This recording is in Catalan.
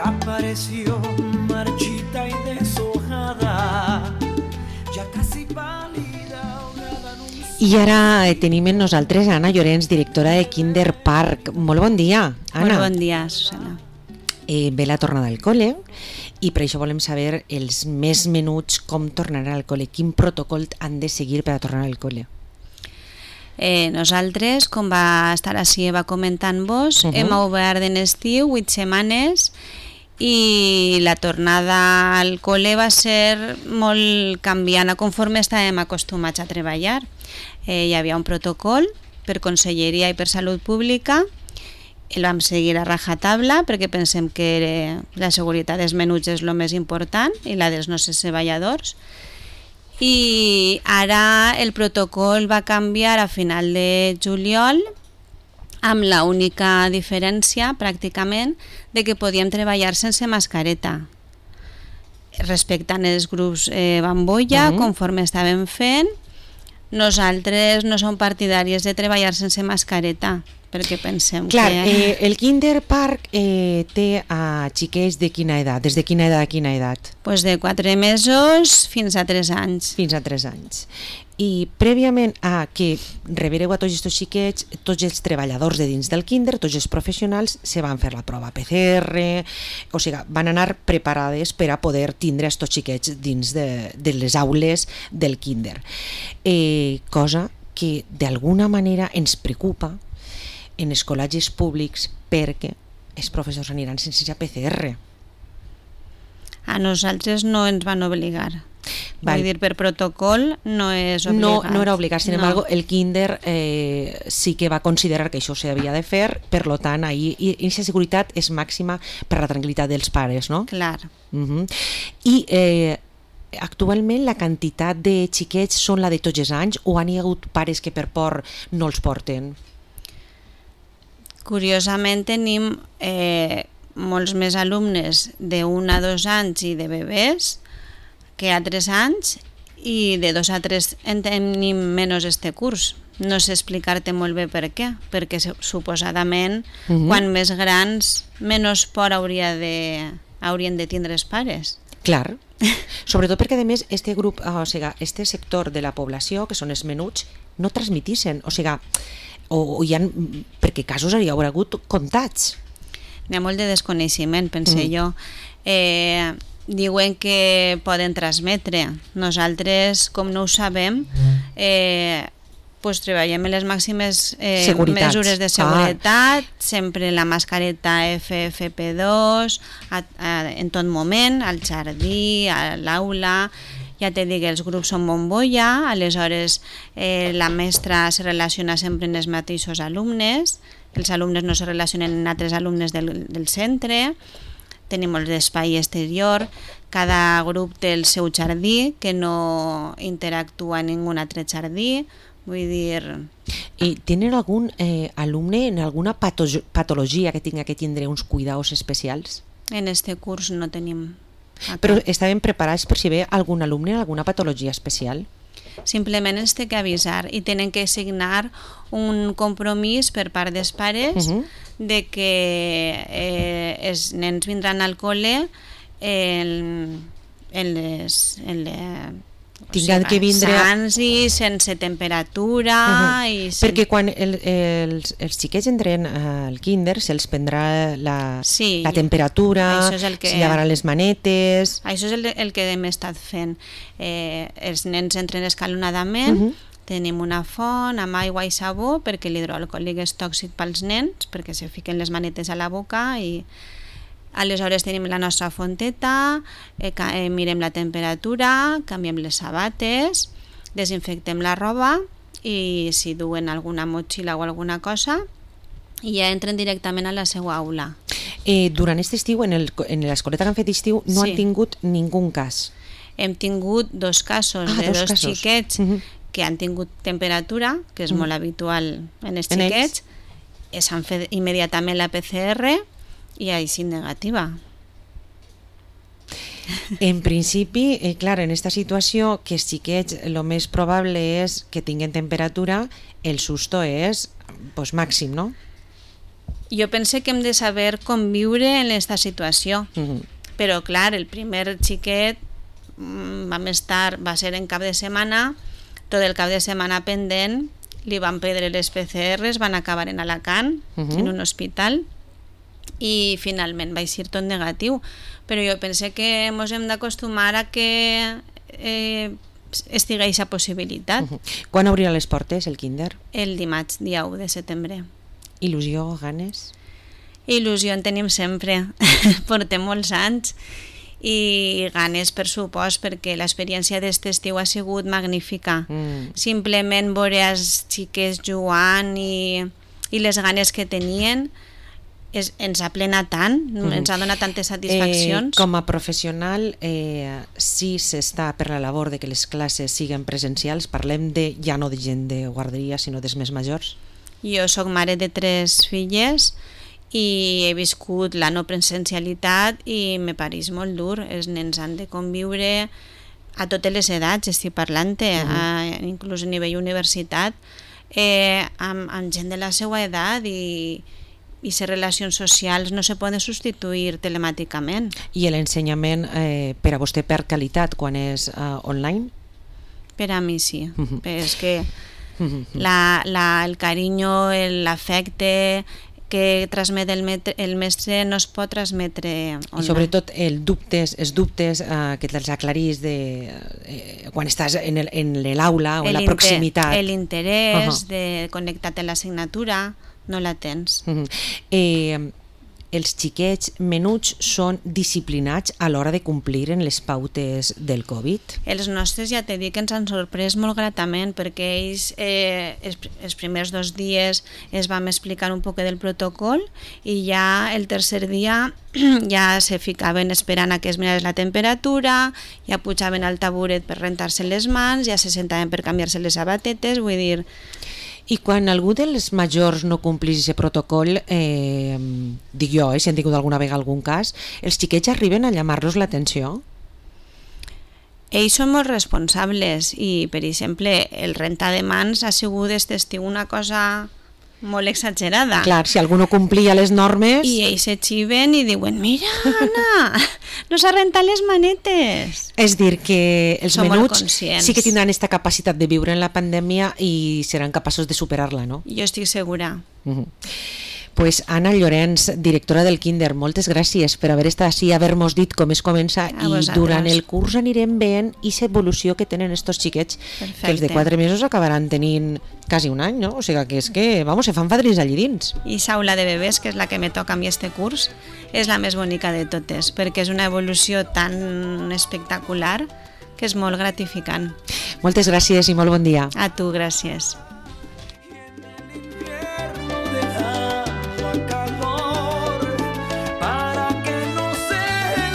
apareció marchita y deshojada, ya casi pálida, ahogada en un I ara tenim en nosaltres Anna Llorenç, directora de Kinder Park. Molt bon dia, Anna. Molt bon dia, Susana. Ve la tornada al col·le i per això volem saber els més menuts, com tornaran al col·le, quin protocol han de seguir per a tornar al col·le. Nosaltres, com va estar així, va comentant-vos, hem obert en estiu 8 setmanes i la tornada al col·le va ser molt canviant conforme estàvem acostumats a treballar. Hi havia un protocol per Conselleria i per Salut Pública, el vam seguir a rajatabla perquè pensem que la seguretat dels menuts és el més important i la dels nostres treballadors. I ara el protocol va canviar a final de juliol amb la única diferència pràcticament de que podíem treballar sense mascareta, respectant els grups bambolla conforme estàvem fent. Nosaltres no som partidàries de treballar sense mascareta perquè pensem que... el Kinder Park té a xiquets de quina edat? Des de quina edat a quina edat? Pues de 4 mesos fins a 3 anys. Fins a 3 anys. I prèviament a que rebereu a tots aquests xiquets, tots els treballadors de dins del Kinder, tots els professionals, se van fer la prova PCR, o sigui, van anar preparades per a poder tindre aquests xiquets dins de les aules del Kinder. Cosa que d'alguna manera ens preocupa en els col·legis públics perquè els professors aniran sense PCR. A nosaltres no ens van obligar. Vull dir, per protocol no és obligat. No era obligat, sin embargo, el Kinder sí que va considerar que això s'havia de fer, per tant, ahí aquesta seguretat és màxima per la tranquil·litat dels pares, no? Clar. I actualment la quantitat de xiquets són la de tots els anys o han hi hagut pares que per por no els porten? Curiosament tenim molts més alumnes de 1 a 2 anys i de bebès que a 3 anys i de 2 a 3 en tenim menys este curs. No sé explicar-te molt bé per què, perquè suposadament quan més grans menys por haurien de tindre els pares. Clar, sobretot perquè a més este grup, o sigui, este sector de la població, que són els menuts, no transmitissen, o sigui, o hi ha, perquè casos hi haurà hagut comptats. N'hi ha molt de desconeixement, pense jo. Diuen que poden transmetre. Nosaltres, com no ho sabem, treballem en les màximes mesures de seguretat, sempre la mascareta FFP2 en tot moment, al jardí, a l'aula. Ja te dic, els grups són bombolla, aleshores la mestra se relaciona sempre amb els mateixos alumnes, els alumnes no se relacionen amb altres alumnes del centre, tenim molt d'espai exterior, cada grup té el seu jardí, que no interactua en ningú altre jardí, vull dir... I tenen algun alumne en alguna patologia que tinga que tindre uns cuidados especials? En este curs no tenim. Però estaven preparats per si ve algun alumne en alguna patologia especial? Simplement ens té que avisar i tenen que signar un compromís per part dels pares de que els nens vindran al col·le tindran que vindre sans i sense temperatura. Perquè quan els xiquets entren al Kinder se'ls prendrà la temperatura, se llevaran les manetes... Això és el que hem estat fent. Els nens entren escalonadament, tenim una font amb aigua i sabó perquè l'hidroalcohòlic és tòxic pels nens, perquè se fiquen les manetes a la boca i aleshores tenim la nostra fonteta, mirem la temperatura, canviem les sabates, desinfectem la roba i si duen alguna motxilla o alguna cosa i ja entren directament a la seva aula. Durant aquest estiu, en l'escoleta que han fet estiu, no han tingut ningú cas? Hem tingut 2 casos de 2 xiquets que han tingut temperatura, que és molt habitual en els xiquets, s'han fet immediatament la PCR i així negativa. En principi, clar, en aquesta situació que els xiquets el més probable és que tinguin temperatura, el susto és màxim, no? Jo pense que hem de saber conviure en aquesta situació. Però, clar, el primer xiquet va ser en cap de setmana, tot el cap de setmana pendent, li van prendre les PCRs, van acabar en Alacant, en un hospital, i finalment va eixir tot negatiu. Però jo pense que ens hem d'acostumar a que estigui aquesta possibilitat. Quan obrirà les portes el kinder? El dimarts, dia 1 de setembre. Il·lusió, ganes? Il·lusió en tenim sempre, portem molts anys, i ganes, per supost, perquè l'experiència d'aquest estiu ha sigut magnífica. Simplement veure els xiquets jugant i les ganes que tenien ens ha plenat tant, ens ha donat tantes satisfaccions. Com a professional, si s'està per la labor de que les classes siguin presencials, parlem ja no de gent de guarderia, sinó dels més majors? Jo soc mare de 3 filles i he viscut la no presencialitat i me pareix molt dur. Els nens han de conviure a totes les edats, estic parlant-te, inclús a nivell universitat, amb gent de la seva edat, i les relacions socials no se poden substituir telemàticament. I l'ensenyament per a vostè perd qualitat quan és online? Per a mi sí, és que el carinyo, l'afecte que transmet el mestre no es pot transmetre online. I sobretot els dubtes que te'ls aclarís quan estàs en l'aula o en la proximitat. L'interès de connectar-te a l'assignatura no la tens. Els xiquets menuts són disciplinats a l'hora de complir en les pautes del Covid? Els nostres, ja t'he dit que ens han sorprès molt gratament, perquè ells els primers 2 dies es vam explicar un poc del protocol i ja el tercer dia ja se ficaven esperant a que es mirés la temperatura, ja pujaven al taburet per rentar-se les mans, ja se sentaven per canviar-se les sabatetes, vull dir... I quan algú dels majors no complís aquest protocol, dic jo, si han tingut alguna vegada algun cas, els xiquets arriben a llamar-los l'atenció? Ells són molt responsables i, per exemple, el rentar de mans ha sigut aquest estiu una cosa molt exagerada. Clar, si algú no complia les normes... I ells se xiven i diuen, mira, Anna, no s'ha rentat les manetes. És dir, que els menuts sí que tindran aquesta capacitat de viure en la pandèmia i seran capaços de superar-la, no? Jo estic segura. Pues Anna Llorenç, directora del Kinder, moltes gràcies per haver estat així, haver-nos dit com es comença, i durant el curs anirem veient aquesta evolució que tenen estos xiquets. Perfecte. Que els de 4 mesos acabaran tenint quasi un any, no? O sigui que és que, se fan fadrins allí dins. I l'aula de bebès, que és la que me toca a mi este curs, és la més bonica de totes, perquè és una evolució tan espectacular que és molt gratificant. Moltes gràcies i molt bon dia. A tu, gràcies.